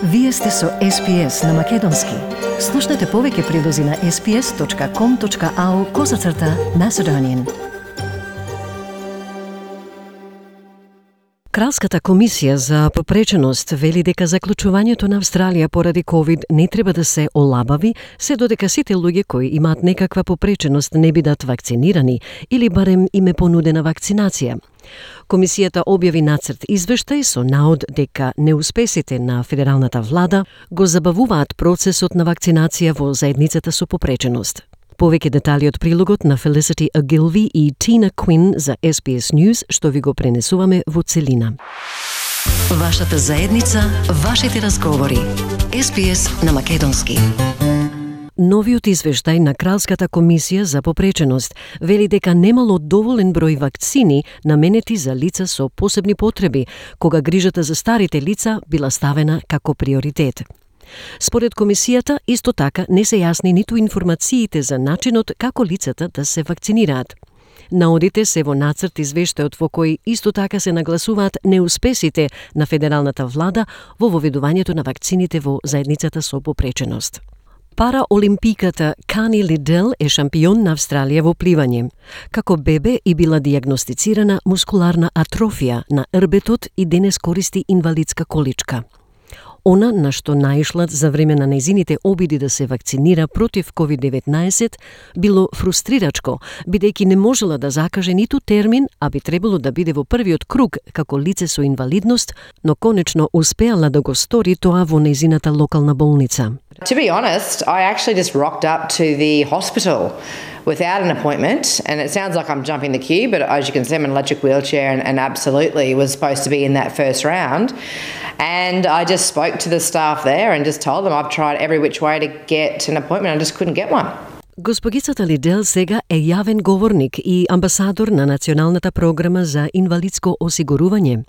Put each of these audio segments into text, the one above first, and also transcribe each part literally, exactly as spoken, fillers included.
Вие сте со Ес Би Ес на Македонски. Слушнете повеќе прилози на ес би ес точка ком точка ау козацрта Macedonian. Кралската комисија за попреченост вели дека заклучувањето на Австралија поради ковид не треба да се олабави, се додека сите луѓе кои имаат некаква попреченост не бидат вакцинирани или барем им е понудена вакцинација. Комисијата објави нацрт извештај со наод дека неуспесите на федералната влада го забавуваат процесот на вакцинација во заедницата со попреченост. Повеќе детали од прилогот на Felicity Ogilvie и Tina Quinn за Ес Би Ес News, што ви го пренесуваме во целина. Вашата заедница, вашите разговори. Ес Би Ес на Македонски. Новиот извештај на Кралската комисија за попреченост вели дека немало доволен број вакцини наменети за лица со посебни потреби, кога грижата за старите лица била ставена како приоритет. Според комисијата, исто така не се јасни ниту информациите за начинот како лицата да се вакцинираат. Наодите се во нацрт извештајот во кој исто така се нагласуваат неуспесите на федералната влада во воведувањето на вакцините во заедницата со попреченост. Параолимпиката Кани Лидел е шампион на Австралија во пливање. Како бебе и била дијагностицирана мускуларна атрофија на рбетот и денес користи инвалидска количка. Она на што наишла за време на нејзините обиди да се вакцинира против ковид деветнаесет било фрустрирачко, бидејќи не можела да закаже ниту термин, а би требало да биде во првиот круг како лице со инвалидност, но конечно успеала да го стори тоа во нејзината локална болница. To be honest, I actually just rocked up to the hospital without an appointment, and it sounds like I'm jumping the queue, but as you can see, I'm in an electric wheelchair and, and absolutely was supposed to be in that first round. And I just spoke to the staff there and just told them I've tried every which way to get an appointment, I just couldn't get one. Госпогицата Лидел сега е јавен говорник и амбасадор на Националната програма за инвалидско осигурување.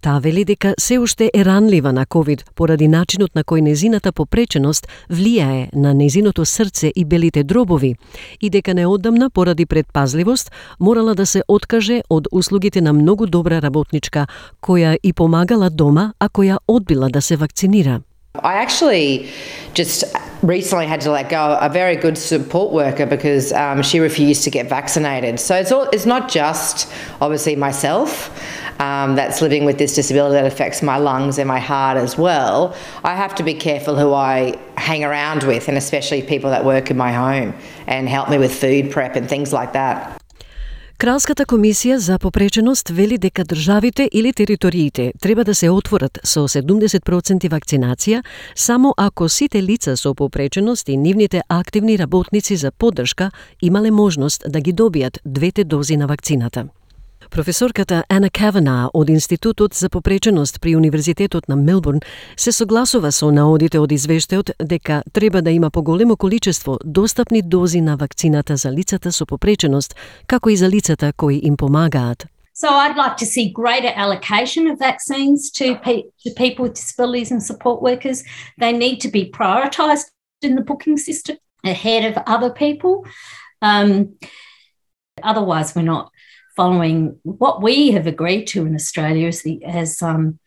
Таа вели дека се уште е ранлива на ковид поради начинот на кој незината попреченост влијае на незиното срце и белите дробови и дека неодамна поради предпазливост морала да се откаже од услугите на многу добра работничка која и помагала дома, а која одбила да се вакцинира. I actually just recently had to let go a very good support worker because um, she refused to get vaccinated. So it's all, it's not just obviously myself um, that's living with this disability that affects my lungs and my heart as well. I have to be careful who I hang around with, and especially people that work in my home and help me with food prep and things like that. Кралската комисија за попреченост вели дека државите или териториите треба да се отворат со седумдесет проценти вакцинација само ако сите лица со попреченост и нивните активни работници за поддршка имале можност да ги добијат двете дози на вакцината. Професорката Ана Кавана од Институтот за попреченост при Универзитетот на Мелбурн се согласува со наодите од извештајот дека треба да има поголемо количество достапни дози на вакцината за лицата со попреченост, како и за лицата кои им помагаат. So I'd like to see greater allocation of vaccines to, pe- to people with disabilities and support workers. They need to be prioritised in the booking system ahead of other people. Um, otherwise, we're not following what we have agreed to in Australia as the, as, um,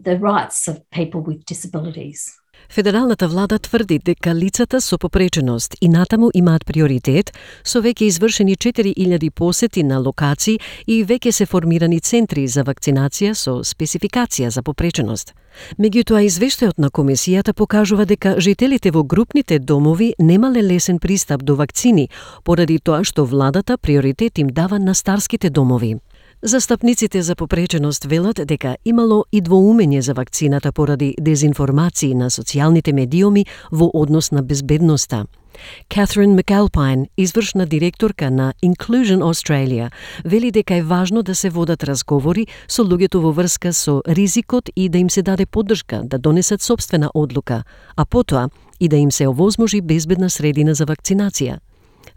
the rights of people with disabilities. Федералната влада тврди дека лицата со попреченост и натаму имаат приоритет, со веќе извршени четири илјади посети на локации и веќе се формирани центри за вакцинација со спецификација за попреченост. Меѓутоа, извештајот на комисијата покажува дека жителите во групните домови немале лесен пристап до вакцини, поради тоа што владата приоритет им дава на старските домови. Застапниците за попреченост велат дека имало и двоумење за вакцината поради дезинформации на социјалните медиуми во однос на безбедноста. Catherine McAlpine, извршна директорка на Inclusion Australia, вели дека е важно да се водат разговори со луѓето во врска со ризикот и да им се даде поддршка да донесат собствена одлука, а потоа и да им се овозможи безбедна средина за вакцинација.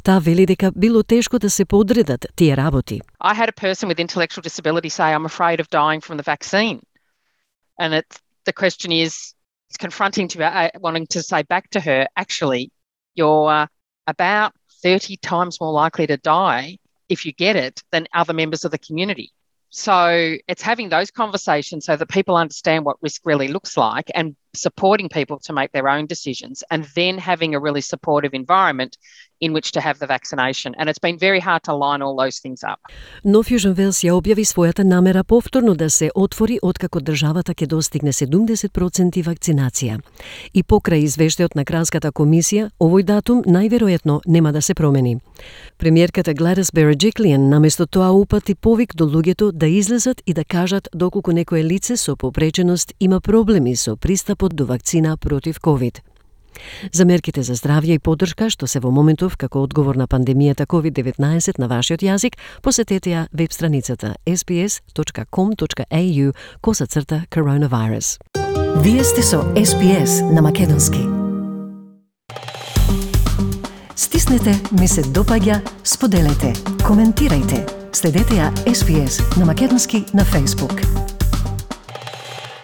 Таа вели дека било тешко да се подредат тие работи. I had a person with intellectual disability say, I'm afraid of dying from the vaccine. And it's, the question is, it's confronting to uh, wanting to say back to her, actually, you're uh, about thirty times more likely to die if you get it than other members of the community. So it's having those conversations so that people understand what risk really looks like and supporting people to make their own decisions, and then having a really supportive environment in which to have the vaccination. And it's been very hard to line all those things up. Но Fusion Wells ја објави својата намера повторно да се отвори откако државата ќе достигне седумдесет проценти вакцинација. И покрај извештајот на Кралската комисија, овој датум најверојатно нема да се промени. Премиерката Gladys Berejiklian наместо тоа упати повик до луѓето да излезат и да кажат доколку некое лице со попреченост има проблеми со пристапот до вакцина против ковид. За мерките за здравје и поддршка што се во моментов како одговор на пандемијата ковид деветнаесет на вашиот јазик, посетете ја веб страницата ес би ес точка ком точка ей ю косацрта coronavirus. Вие сте со Ес Би Ес на македонски. Стиснете, ми се допаѓа, споделете, коментирајте. Следете ја Ес Би Ес на македонски на Facebook.